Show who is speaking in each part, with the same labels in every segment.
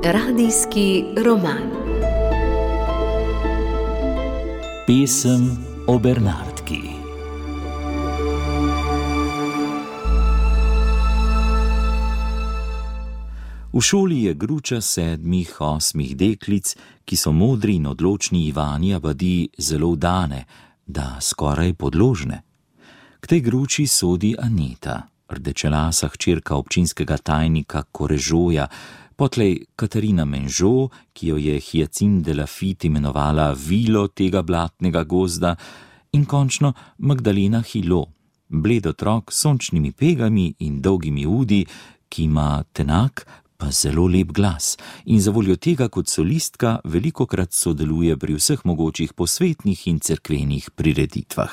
Speaker 1: Radijski roman.
Speaker 2: Pesem o Bernardki. V šoli je gruča 7, 8 deklic, ki so modri in odločni Ivani Abadi zelo vdane, da skoraj podložne. K tej gruči sodi Aneta, rdečelasa hčerka občinskega tajnika Korežoja, potlej Katarina Menžo, ki jo je Hyacinthe de Laffitte imenovala vilo tega blatnega gozda, in končno Magdalena Hilo, bled otrok s sončnimi pegami in dolgimi udi, ki ima tenak, pa zelo lep glas in zavoljo tega kot solistka velikokrat sodeluje pri vseh mogočih posvetnih in cerkvenih prireditvah.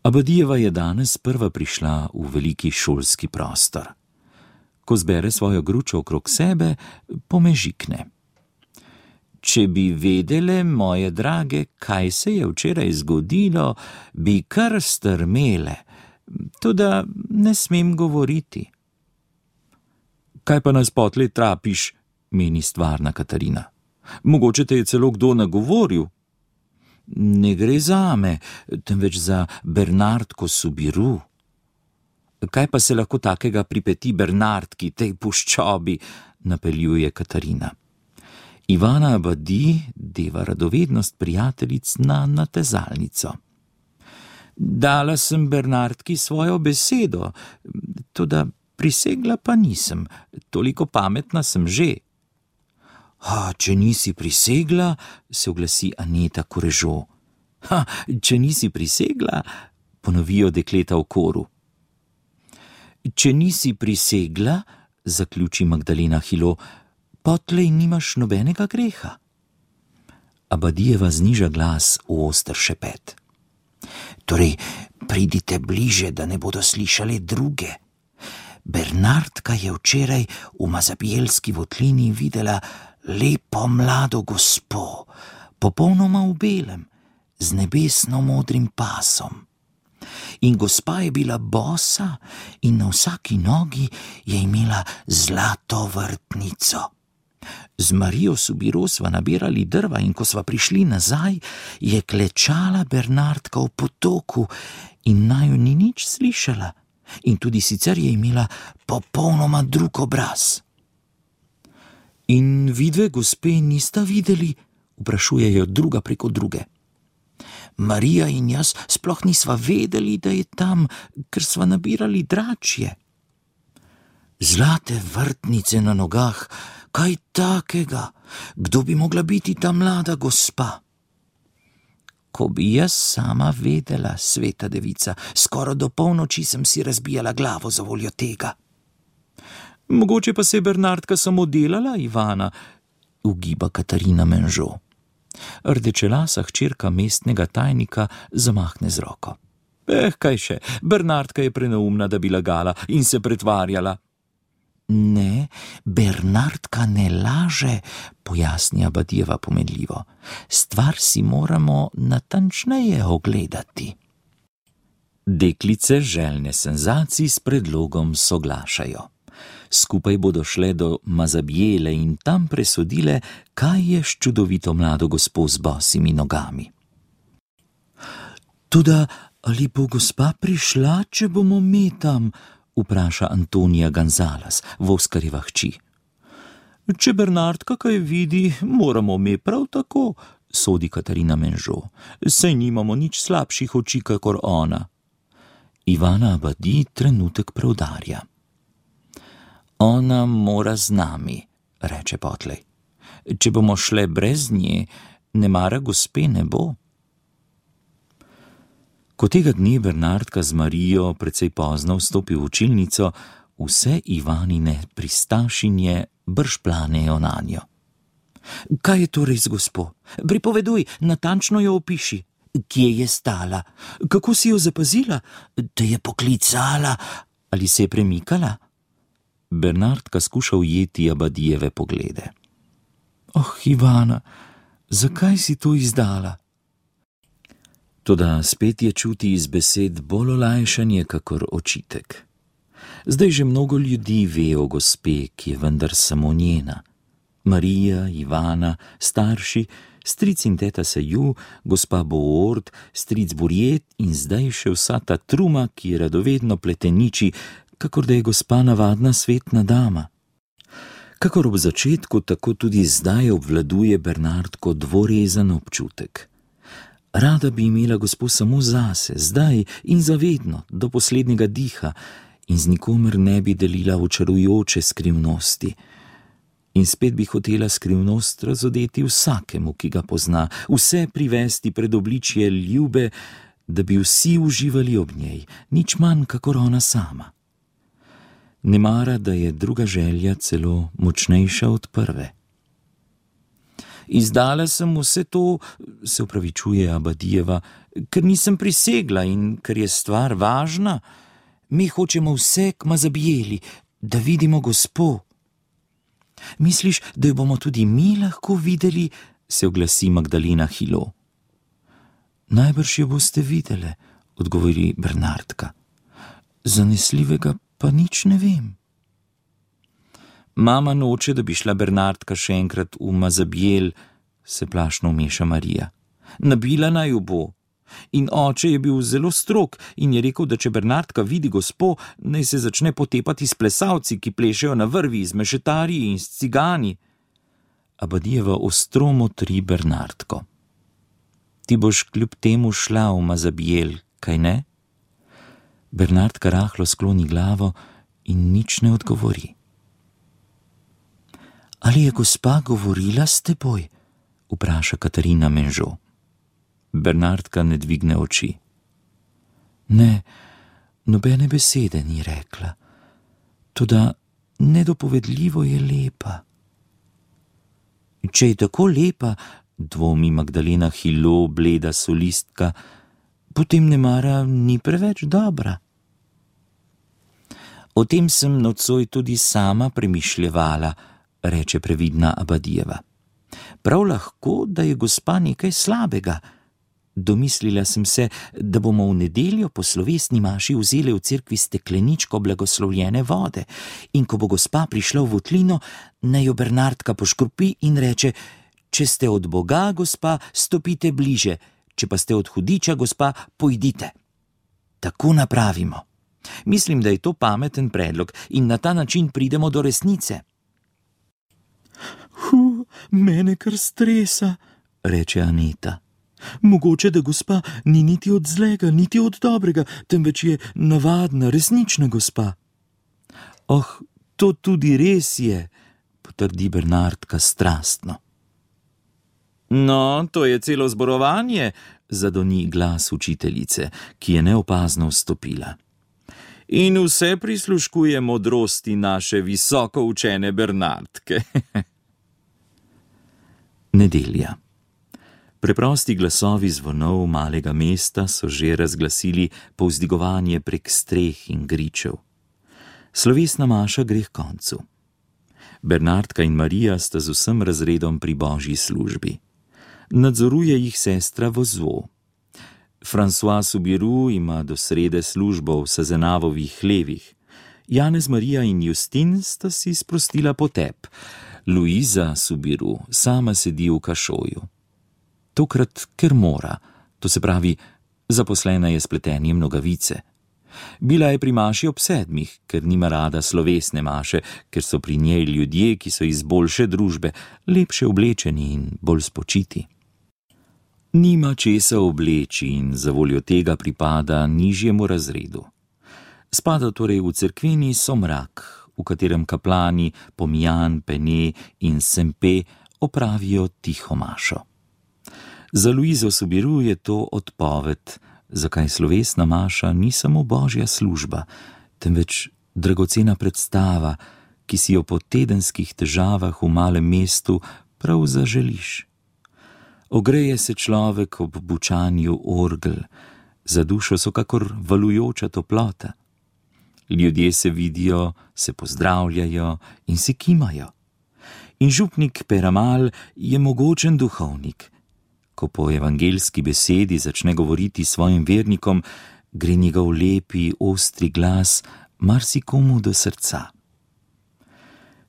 Speaker 2: Abadijeva je danes prva prišla v veliki šolski prostor. Ko zbere svojo gručo okrog sebe, pomežikne. Če bi vedele, moje drage, kaj se je včeraj zgodilo, bi kar strmele, toda ne smem govoriti. Kaj pa nas potlej trapiš, meni stvarna Katarina. Mogoče te je celo kdo nagovoril. Ne gre zame, temveč za Bernardko Soubirous. Kaj pa se lahko takega pripeti Bernardki, tej puščobi, napeljuje Katarina. Ivana Abadi deva radovednost prijateljic na natezalnico. Dala sem Bernardki svojo besedo, toda prisegla pa nisem, toliko pametna sem že. Če nisi prisegla, se oglasi Aneta Korežo. Če nisi prisegla, ponovijo dekleta v koru. Če nisi prisegla, zaključi Magdalena Hilo, potlej nimaš nobenega greha. Abadijeva zniža glas v oster šepet. Torej, pridite bliže, da ne bodo slišale druge. Bernardka je včeraj v Mazabijelski votlini videla lepo mlado gospo, popolnoma v belem, z nebesno modrim pasom. In gospa je bila bosa in na vsaki nogi je imela zlato vrtnico. Z Marijo Soubirous sva nabirali drva in ko sva prišli nazaj, je klečala Bernardka v potoku in naju ni nič slišala. In tudi sicer je imela popolnoma drug obraz. In vidve gospe nista videli, vprašujejo druga preko druge. Marija in jaz sploh nisva vedeli, da je tam, ker sva nabirali dračje. Zlate vrtnice na nogah, kaj takega? Kdo bi mogla biti ta mlada gospa? Ko bi jaz sama vedela, sveta devica, skoraj do polnoči sem si razbijala glavo za voljo tega. Mogoče pa se je Bernardka samo delala, Ivana, ugiba Katarina Menžo. Rdečelasa hčerka mestnega tajnika zamahne z roko. Kaj še, Bernardka je preneumna, da bi lagala in se pretvarjala. Ne, Bernardka ne laže, pojasni Abadijeva pomenljivo. Stvar si moramo natančneje ogledati. Deklice željne senzacij s predlogom soglašajo. Skupaj bodo šle do Mazabijele in tam presodile, kaj je s čudovito mlado gospo z bosimi nogami. Toda ali bo gospa prišla, če bomo mi tam? Vpraša Antonija Gonzales, Voskarjeva hči. Če Bernardka kaj vidi, moramo mi prav tako, sodi Katarina Menžo. Saj nimamo nič slabših oči, kakor ona. Ivana Abadi trenutek preudarja. Ona mora z nami, reče potlej. Če bomo šle brez nje, nemara gospe ne bo. Ko tega dne Bernardka z Marijo precej pozno vstopi v učilnico, vse Ivanine pristašinje brž planejo nanjo. Kaj je torej z gospo? Pripoveduj, natančno jo opiši. Kje je stala? Kako si jo zapazila? Te je poklicala? Ali se je premikala? Bernardka skuša ujeti Abadijeve poglede. Ivana, zakaj si to izdala? Toda spet je čuti iz besed bolj olajšanje, kakor očitek. Zdaj že mnogo ljudi ve o gospe, ki je vendar samo njena. Marija, Ivana, starši, stric in teta Seju, gospa Boord, stric Burjet in zdaj še vsa ta truma, ki je radovedno pleteniči, kakor da je gospa navadna svetna dama. Kakor ob začetku, tako tudi zdaj obvladuje Bernardko dvorezen občutek. Rada bi imela gospo samo zase, zdaj in zavedno, do poslednjega diha, in z nikomer ne bi delila očarujoče skrivnosti. In spet bi hotela skrivnost razodeti vsakemu, ki ga pozna, vse privesti pred obličje ljube, da bi vsi uživali ob njej, nič manj kakor ona sama. Ne mara, da je druga želja celo močnejša od prve. Izdala sem vse to, se opravičuje Abadijeva, ker nisem prisegla in ker je stvar važna. Mi hočemo vse k Mazabijeli, da vidimo gospo. Misliš, da jo bomo tudi mi lahko videli, se oglasi Magdalena Hilo. Najbrž jo boste videle, odgovori Bernardka. Zanesljivega pa nič ne vem. Mama noče, da bi šla Bernardka še enkrat v Mazabijel, se plašno vmeša Marija. Nabila naj jo bo. In oče je bil zelo strog in je rekel, da če Bernardka vidi gospo, naj se začne potepati s plesalci, ki plešejo na vrvi, z mešetarji in s cigani. Abadijeva ostro motri Bernardko. Ti boš kljub temu šla v Mazabijel, kaj ne? Bernardka rahlo skloni glavo in nič ne odgovori. Ali je gospa govorila s teboj? Vpraša Katarina Menžo. Bernardka ne dvigne oči. Ne, nobene besede ni rekla. Toda nedopovedljivo je lepa. Če je tako lepa, dvomi Magdalena Hilo, bleda solistka, potem nemara ni preveč dobra. O tem sem nocoj tudi sama premišljevala, reče previdna Abadijeva. Prav lahko, da je gospa nekaj slabega. Domislila sem se, da bomo v nedeljo po slovesni maši vzeli v cerkvi stekleničko blagoslovljene vode in ko bo gospa prišla v votlino, naj jo Bernardka poškropi in reče: če ste od Boga, gospa, stopite bliže, če pa ste od hudiča, gospa, pojdite. Tako napravimo. Mislim, da je to pameten predlog in na ta način pridemo do resnice. Mene kar stresa, reče Aneta. Mogoče, da gospa ni niti od zlega, niti od dobrega, temveč je navadna, resnična gospa. Oh, to tudi res je, potrdi Bernardka strastno. No, to je celo zborovanje, zadoni glas učiteljice, ki je neopazno vstopila. In vse prisluškuje modrosti naše visoko učene Bernardke. Nedelja. Preprosti glasovi zvonov malega mesta so že razglasili povzdigovanje prek streh in gričev. Slovesna maša gre k koncu. Bernardka in Marija sta z vsem razredom pri božji službi. Nadzoruje jih sestra Vozvo. François Subiru ima do srede službo v Sazenavovih hlevih. Janez, Marija in Justin sta si sprostila potep. Luiza Subiru sama sedi v kašoju. Tokrat, ker mora, to se pravi, zaposlena je s pletenjem nogavice. Bila je pri maši ob 7, ker nima rada slovesne maše, ker so pri njej ljudje, ki so iz boljše družbe, lepše oblečeni in bolj spočiti. Nima česa obleči in zavoljo tega pripada nižjemu razredu. Spada torej v cerkveni somrak, v katerem kaplani Pomijan, Pene in Sempe opravijo tiho mašo. Za Luizo Subiru je to odpoved, zakaj slovesna maša ni samo božja služba, temveč dragocena predstava, ki si jo po tedenskih težavah v malem mestu prav zaželiš. Ogreje se človek ob bučanju orgel, za dušo so kakor valujoča toplota. Ljudje se vidijo, se pozdravljajo in si kimajo. In župnik Peramal je mogočen duhovnik. ko po evangeljski besedi začne govoriti svojim vernikom, gre njegov lepi, ostri glas marsikomu do srca.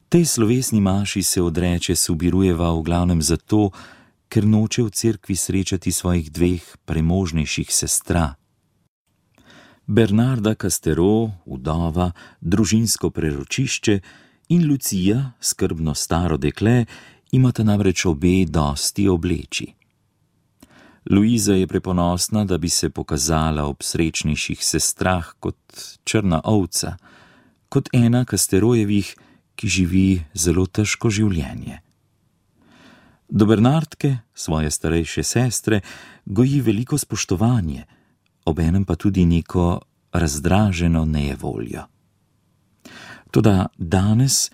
Speaker 2: Tej slovesni maši se odreče Subirujeva v glavnem zato, ker noče v cerkvi srečati svojih dveh premožnejših sestra. Bernarda Castero, vdova, družinsko preročišče, in Lucija, skrbno staro dekle, imata namreč obe dosti obleči. Luiza je preponosna, da bi se pokazala ob srečnejših sestrah kot črna ovca, kot ena Casterojevih, ki živi zelo težko življenje. Do Bernardke, svoje starejše sestre, goji veliko spoštovanje, obenem pa tudi neko razdraženo nejevoljo. Toda danes,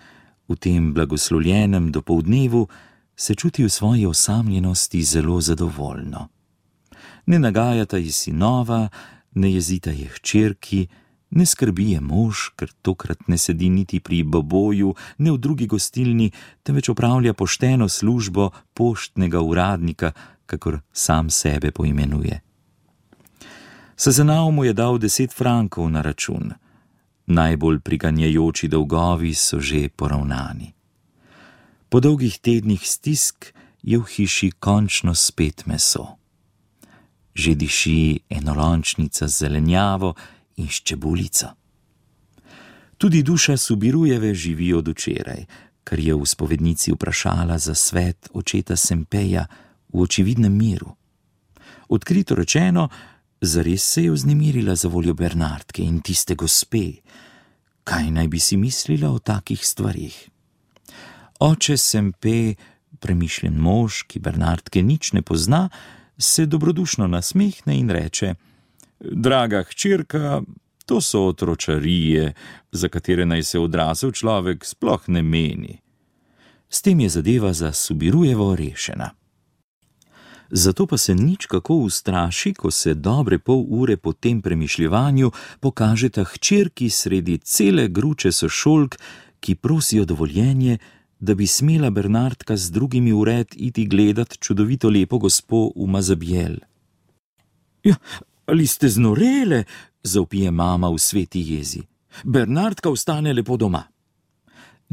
Speaker 2: v tem blagoslovljenem dopoldnevu, se čuti v svoji osamljenosti zelo zadovoljno. Ne nagajata ji sinova, ne jezita je hčerki, ne skrbi je mož, ker tokrat ne sedi niti pri boboju, ne v drugi gostilni, temveč opravlja pošteno službo poštnega uradnika, kakor sam sebe poimenuje. Sazenav mu je dal 10 frankov na račun. Najbolj priganjajoči dolgovi so že poravnani. Po dolgih tednih stisk je v hiši končno spet meso. Že diši enolončnica z zelenjavo in s čebulico. Tudi duša Subirujeve živi od včeraj, kar je v spovednici vprašala za svet očeta Sempeja v očividnem miru. Odkrito rečeno, zares se je vznemirila za voljo Bernardke in tiste gospe. Kaj naj bi si mislila o takih stvarih? Oče Sempe, premišljen mož, ki Bernardke nič ne pozna, se dobrodušno nasmehne in reče: Draga hčerka, to so otročarije, za katere naj se odrasel človek sploh ne meni. S tem je zadeva za Subirujevo rešena. Zato pa se nič kako ustraši, ko se dobre pol ure po tem premišljevanju pokažeta hčerki sredi cele gruče sošolk, ki prosijo dovoljenje, da bi smela Bernardka z drugimi vred iti gledat čudovito lepo gospo v Mazabjel. Ja, ali ste znorele, zavpije mama v sveti jezi. Bernardka ostane lepo doma.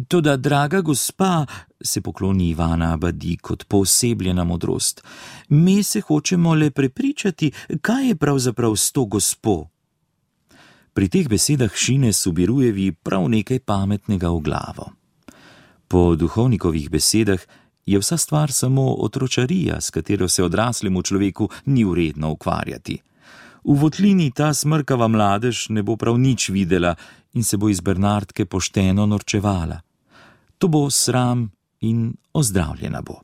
Speaker 2: Toda, draga gospa, se pokloni Ivana Abadi kot poosebljena modrost, mi se hočemo le prepričati, kaj je pravzaprav s to gospo. Pri teh besedah šine Subirujevi prav nekaj pametnega v glavo. Po duhovnikovih besedah je vsa stvar samo otročarija, s katero se odraslemu človeku ni vredno ukvarjati. V votlini ta smrkava mladež ne bo prav nič videla in se bo iz Bernardke pošteno norčevala. To bo sram in ozdravljena bo.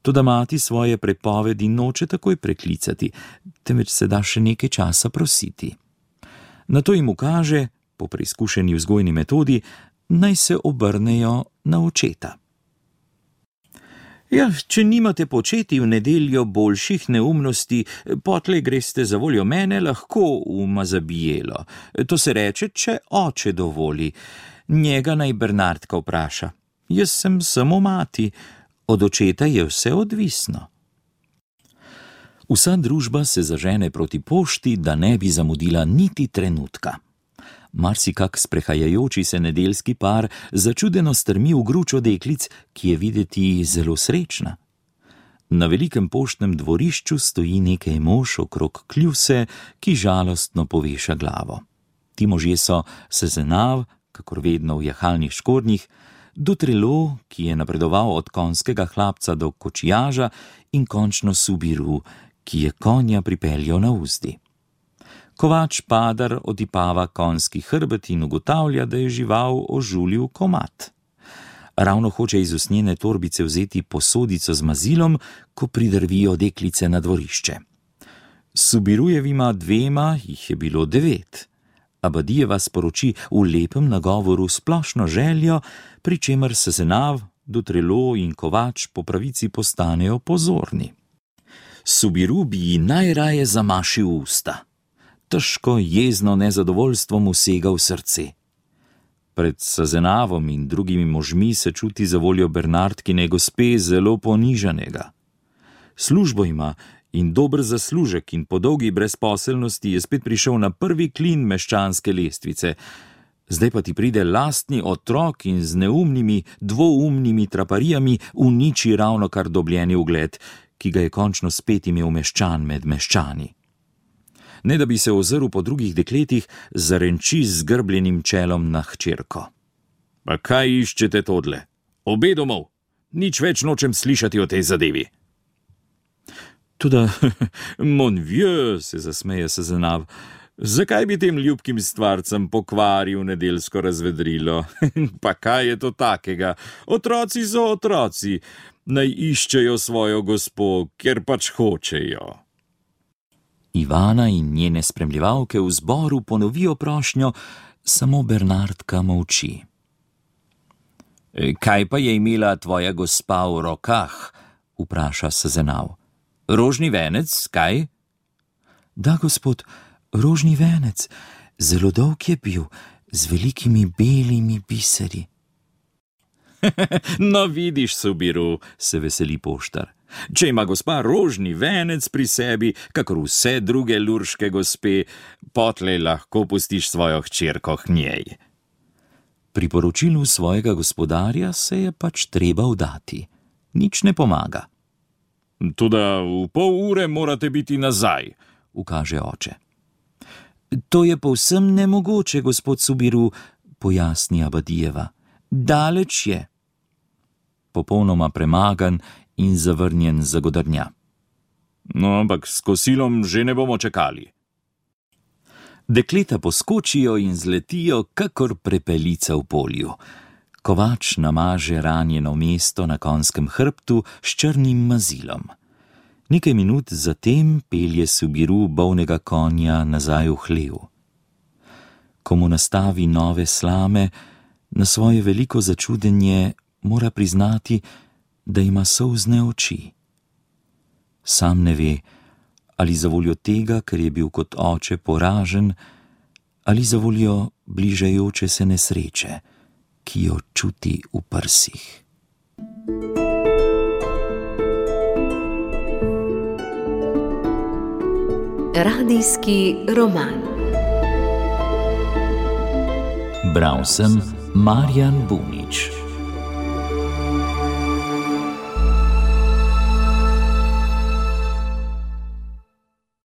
Speaker 2: Toda mati svoje prepovedi noče takoj preklicati, temveč se da še nekaj časa prositi. Nato jim ukaže, po preizkušeni vzgojni metodi, naj se obrnejo na očeta. Ja, če nimate početi v nedeljo boljših neumnosti, potlej greste za voljo mene lahko v Mazabijelo. To se reče, če oče dovoli. Njega naj Bernardka vpraša. Jaz sem samo mati, od očeta je vse odvisno. Vsa družba se zažene proti pošti, da ne bi zamudila niti trenutka. Marsikak sprehajajoči se nedeljski par začudeno strmi v gručo deklic, ki je videti zelo srečna. Na velikem poštnem dvorišču stoji nekaj mož okrog kljuse, ki žalostno poveša glavo. Ti možje so Sezenav, kakor vedno v jahalnih škornjih, Dutrelo, ki je napredoval od konjskega hlapca do kočijaža, in končno Subiru, ki je konja pripeljal na uzdi. Kovač Padar otipava konjski hrbet in ugotavlja, da je žival ožulil komad. Ravno hoče iz usnjene torbice vzeti posodico z mazilom, ko pridrvijo deklice na dvorišče. Subirujevima dvema jih je bilo 9. Abadijeva sporoči v lepem nagovoru splošno željo, pri čemer Sezenav, Dutrelo in Kovač po pravici postanejo pozorni. Subiru bi ji najraje zamašil usta. Težko jezno nezadovoljstvo mu sega v srce. Pred Sezenavom in drugimi možmi se čuti za voljo Bernardkine gospe zelo ponižanega. Službo ima in dober zaslužek in po dolgi brezposelnosti je spet prišel na prvi klin meščanske lestvice. Zdaj pa ti pride lastni otrok in z neumnimi, dvoumnimi traparijami uniči ravnokar dobljeni ugled, ki ga je končno spet imel meščan med meščani. Ne da bi se ozrl po drugih dekletih, zarenči z zgrbljenim čelom na hčerko. Pa kaj iščete todle? Obe domov! Nič več nočem slišati o tej zadevi. Toda, mon vieux, se zasmeje Sezenav, zakaj bi tem ljubkim stvarcem pokvaril nedeljsko razvedrilo? Pa kaj je to takega? Otroci so otroci, naj iščejo svojo gospo, kjer pač hočejo. Ivana in njene spremljevalke v zboru ponovijo prošnjo, samo Bernardka molči. Kaj pa je imela tvoja gospa v rokah? Vpraša Sezenav. Rožni venec, kaj? Da, gospod, rožni venec, zelo dolg je bil, z velikimi belimi biseri. No vidiš, Subiru, se veseli poštar. Če ima gospa rožni venec pri sebi, kakor vse druge lurške gospe, potlej lahko pustiš svojo hčerko k njej. Pri poročilu svojega gospodarja se je pač treba vdati. Nič ne pomaga. Toda v pol ure morate biti nazaj, ukaže oče. To je povsem nemogoče, gospod Subiru, pojasni Abadijeva. Daleč je. Popolnoma premagan in zavrnjen zagodrnja. No, ampak s kosilom že ne bomo čakali. Dekleta poskočijo in zletijo, kakor prepelica v polju. Kovač namaže ranjeno mesto na konjskem hrbtu s črnim mazilom. Nekaj minut zatem pelje Subiru bolnega konja nazaj v hlev. Ko mu nastavi nove slame, na svoje veliko začudenje mora priznati, da ima solzne oči. Sam ne ve, ali zavoljo tega, ker je bil kot oče poražen, ali zavoljo bližajoče se nesreče, ki jo čuti v prsih.
Speaker 1: Radijski roman.
Speaker 2: Bral sem Marjan Bunič.